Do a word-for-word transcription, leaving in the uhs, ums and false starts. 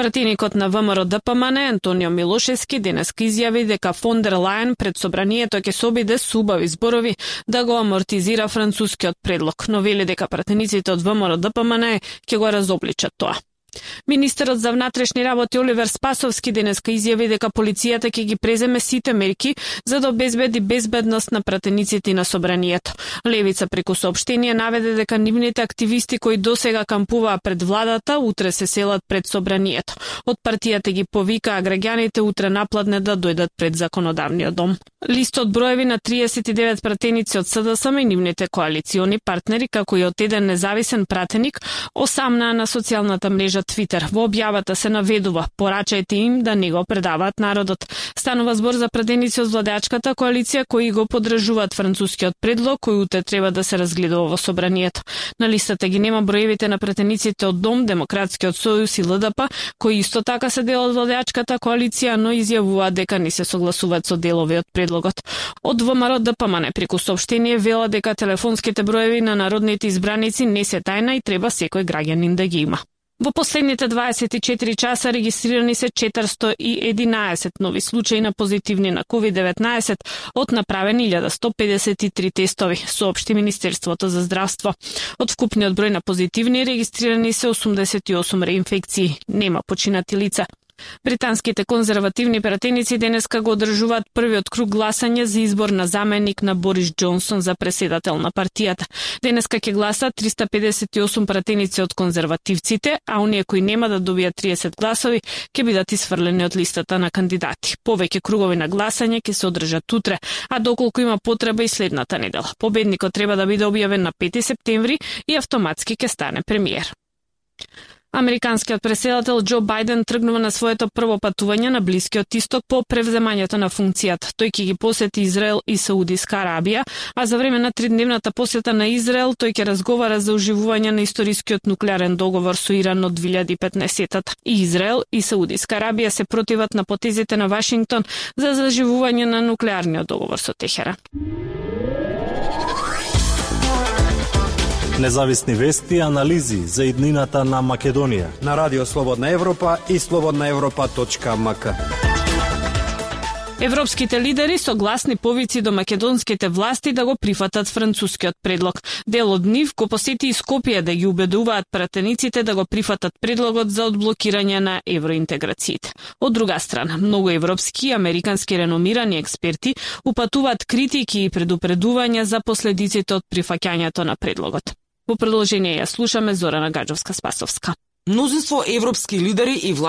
Пратеникот на ВМРО Д П М Н Антонио Милошевски денеска изјави дека фон дер Лајен пред собранието ќе се обиде со убави зборови да го амортизира францускиот предлог, но вели дека пратениците од ВМРО Д П М Н ќе го разобличат тоа. Министерот за внатрешни работи Оливер Спасовски денеска изјави дека полицијата ќе ги преземе сите мерки за да обезбеди безбедност на пратениците на собранието. Левица преку соопштение наведе дека нивните активисти кои досега кампуваа пред владата утре се селат пред собранието. Од партијата ги повикаа граѓаните утре напладне да дојдат пред законодавниот дом. Листот броеви на триесет и девет пратеници од С Д С М и нивните коалициони партнери, како и од еден независен пратеник, осамнаа на социјалната мрежа Твитер. Во објавата се наведува: порачајте им да не го предаваат народот. Станува збор за пратеници од владеачката коалиција кои го поддржуваат францускиот предлог кој утре треба да се разгледува во собранието. На листата ги нема броевите на пратениците од Дом, Демократскиот сојуз и Л Д П, кои исто така се дел од владеачката коалиција, но изјавуваат дека не се согласуваат со делови од предлогот. Од В М Р Д П М Н преку соопштение вела дека телефонските броеви на народните избраници не се тајна и треба секој граѓанин да ги има. Во последните дваесет и четири часа регистрирани се четиристотини и единаесет нови случаи на позитивни на ковид деветнаесет од направени илјада сто педесет и три тестови, соопшти Министерството за здравство. Од вкупниот број на позитивни регистрирани се осумдесет и осум реинфекции. Нема починати лица. Британските конзервативни пратеници денеска го одржуваат првиот круг гласање за избор на заменик на Борис Џонсон за преседател на партијата. Денеска ќе гласаат триста педесет и осум пратеници од конзервативците, а оние кои нема да добијат триесет гласови ќе бидат исфрлени од листата на кандидати. Повеќе кругови на гласање ќе се одржат утре, а доколку има потреба и следната недела. Победникот треба да биде објавен на пети септември и автоматски ќе стане премиер. Американскиот преседател Џо Бајден тргнува на своето прво патување на Блискиот Исток по превземањето на функцијата. Тој ќе ги посети Израел и Саудиска Арабија, а за време на тридневната посета на Израел тој ќе разговара за оживување на историскиот нуклеарен договор со Иран од две илјади и петнаесетта. И Израел и Саудиска Арабија се противат на потезите на Вашингтон за заживување на нуклеарниот договор со Техеран. Независни вести и анализи за иднината на Македонија на Радио Слободна Европа и слободна европа точка м к. Европските лидери согласни повици до македонските власти да го прифатат францускиот предлог. Дел од нив го посети и Скопје да ги убедуваат пратениците да го прифатат предлогот за одблокирање на евроинтеграциите. Од друга страна, многу европски и американски реномирани експерти упатуваат критики и предупредувања за последиците од прифаќањето на предлогот. Во продолжение ја слушаме Зорана Гаджовска-Спасовска. Мнозинство европски лидери и влади